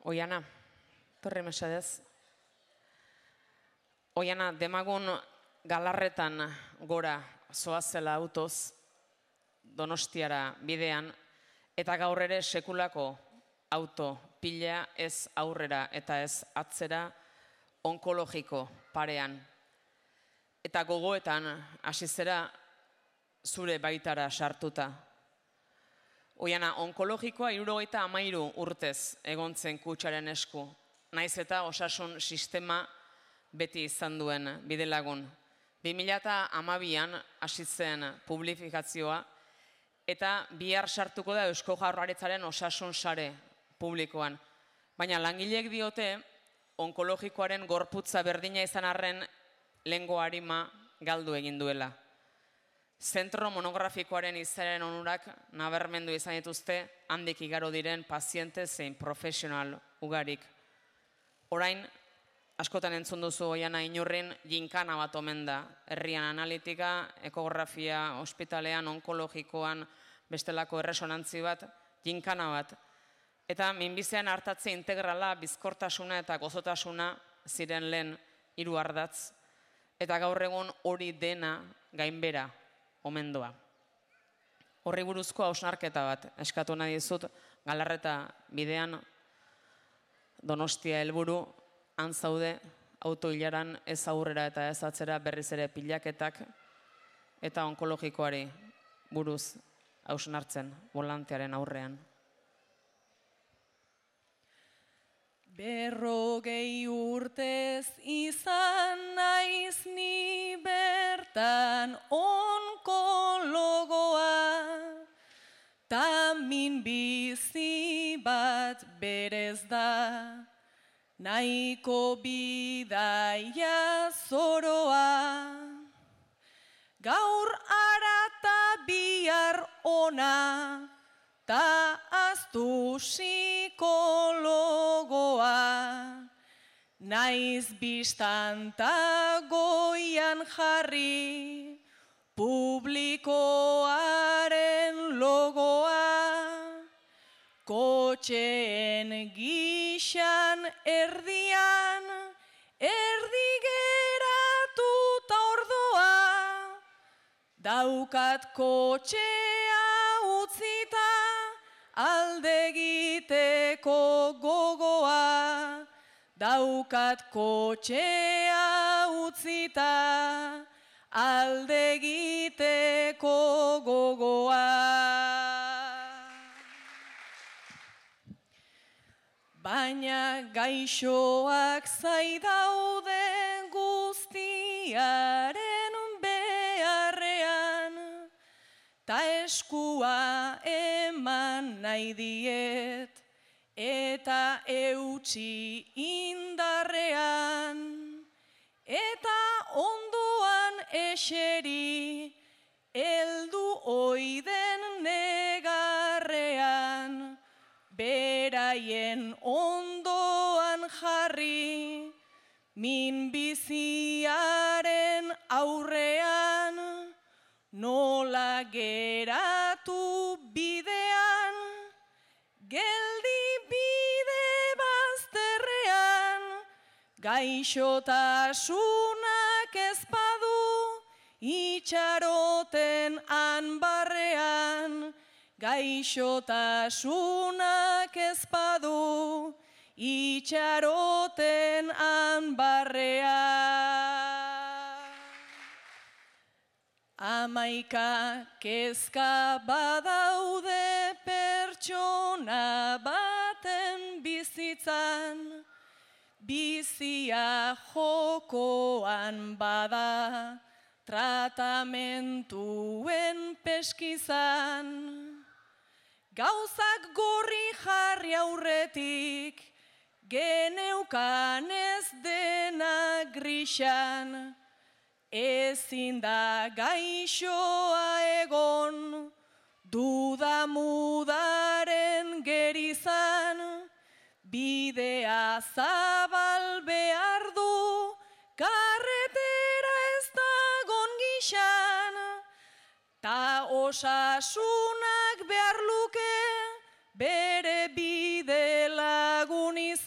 Oiana, torri mesedez. Oiana, demagun Galarretan gora zoazela autoz, Donostiara bidean, eta gaur ere sekulako auto pila ez aurrera eta ez atzera onkologiko parean. Eta gogoetan hasi zera zure baitara sartuta. Oiana, onkologikoa 73 urtez egon zen kutsaren esku, naiz eta osasun sistema beti izan duen bidelagun. 2012an hasi zen publifikazioa eta bihar sartuko da Eusko Jaurlaritzaren osasun sare publikoan. Baina langileek diote onkologikoaren gorputza berdina izan arren lehengo arima galdu egin duela. Zentro monografikoaren izanen onurak nabarmendu izan dituzte handik igaro diren paziente zein profesional ugarik. Orain, askotan entzun duzu Oiana Inurrin ginkana bat omen da. Herrian analitika, ekografia, ospitalean, onkologikoan, bestelako erresonantzi bat, ginkana bat. Eta minbizian hartatze integrala, bizkortasuna eta gozotasuna ziren lehen 3 ardatz. Eta gaur egun hori dena gainbera omen doa. Horri buruzko hausnarketa bat eskatu nahi dizut, Galarreta bidean Donostia helburu, han zaude autoilaran ez aurrera eta ez atzera berriz ere pilaketak eta onkologikoari buruz hausnartzen volantearen aurrean. 40 urtez izan naiz ni bertan onkologoa, ta min bizi bat berez da, nahiko bidaia zoroa. Gaur ara ta bihar ona, ta aztu psikologoa, naiz bistan ta goian jarri, publikoaren logoa, kotxeen gixan erdian, erdi geratuta ordoa, daukat kotxea utzita, alde egiteko gogoa, daukat kotxea utzita, alde egiteko gogoa. Baina gaixoak zaidaude guztiaren beharrean, ta eskua eman nahi diet, eta eutsi indarrean, eta ondoan eseri, heldu oiden negarrean, beraien ondoan jarri, min biziaren aurrean, nola geratu bidean, geldi bide bazterrean, gaixotasunak ezpadu, itxaroten han barrean, gaixotasunak ezpadu, itxaroten han barrean. 11 kezka badaude pertsona baten bizitzan, bizia jokoan bada, tratamentuen peskizan. Gauzak gorri jarri aurretik, geneukan ez dena grisan, ezin da gaixoa egon, duda mudaren gerizan, bidea zabal behar du, karretera ez dagon gixan, ta osasunak behar luke, bere bide lagun izan.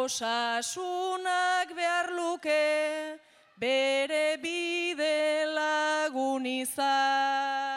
osasunak behar luke, bere bide lagun izan.